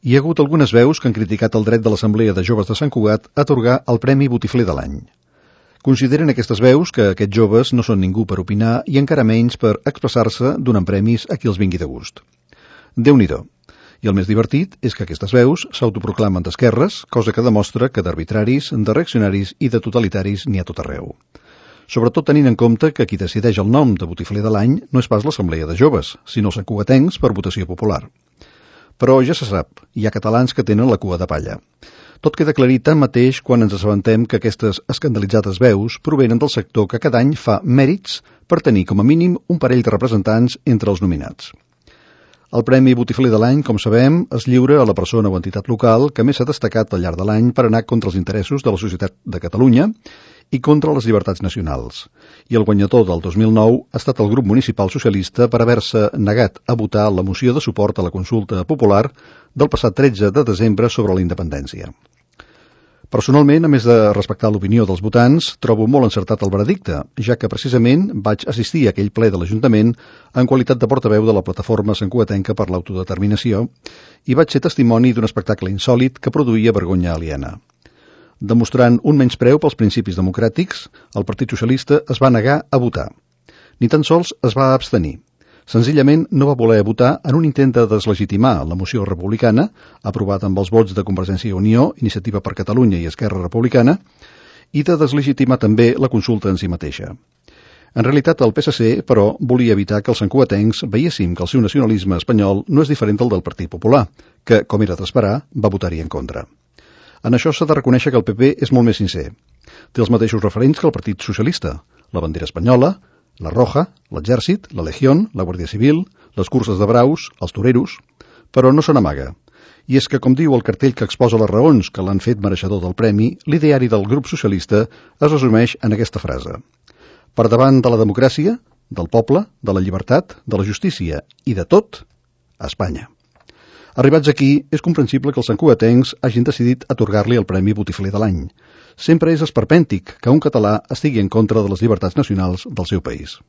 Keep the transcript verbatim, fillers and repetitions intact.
Hi ha hagut algunes veus que han criticat el dret de l'Assemblea de Joves de Sant Cugat a atorgar el Premi Botifler de l'any. Consideren aquestes veus que aquests joves no són ningú per opinar i encara menys per expressar-se donant premis a qui els vingui de gust. Déu-n'hi-do. I el més divertit és que aquestes veus s'autoproclamen d'esquerres, cosa que demostra que d'arbitraris, de reaccionaris i de totalitaris n'hi ha tot arreu. Sobretot tenint en compte que qui decideix el nom de Botifler de l'any no és pas l'Assemblea de Joves, sinó els santcugatencs per votació popular. Però ja se sap, hi ha catalans que tenen la cua de palla. Tot queda aclarit tanmateix quan ens assabentem que aquestes escandalitzades veus provenen del sector que cada any fa mèrits per tenir com a mínim un parell de representants entre els nominats. El Premi Botifler de l'any, com sabem, es lliura a la persona o entitat local que més s'ha destacat al llarg de l'any per anar contra els interessos de la societat de Catalunya i contra les llibertats nacionals. I el guanyador del dos mil nou ha estat el grup municipal socialista per haver-se negat a votar la moció de suport a la consulta popular del passat tretze de desembre sobre la independència. Personalment, a més de respectar l'opinió dels votants, trobo molt encertat el veredicte, ja que precisament vaig assistir a aquell ple de l'Ajuntament en qualitat de portaveu de la plataforma santcugatenca per l'autodeterminació i vaig ser testimoni d'un espectacle insòlit que produïa vergonya aliena. Demostrant un menyspreu pels principis democràtics, el Partit Socialista es va negar a votar. Ni tan sols es va abstenir. Senzillament no va voler votar en un intent de deslegitimar la moció republicana, aprovada amb els vots de Convergència i Unió, Iniciativa per Catalunya i Esquerra Republicana, i de deslegitimar també la consulta en si mateixa. En realitat, el P S C, però, volia evitar que els santcugatencs veiéssim que el seu nacionalisme espanyol no és diferent del del Partit Popular, que, com era d'esperar, va votar-hi en contra. En això s'ha de reconèixer que el P P és molt més sincer. Té els mateixos referents que el Partit Socialista, la bandera espanyola, la Roja, l'Exèrcit, la Legión, la Guàrdia Civil, les curses de braus, els toreros, però no se n'amaga. I és que, com diu el cartell que exposa les raons que l'han fet mereixedor del premi, l'ideari del grup socialista es resumeix en aquesta frase. Per davant de la democràcia, del poble, de la llibertat, de la justícia i de tot, a Espanya. Arribats aquí, és comprensible que els santcugatencs hagin decidit atorgar-li el Premi Botifler de l'any. Sempre és esperpèntic que un català estigui en contra de les llibertats nacionals del seu país.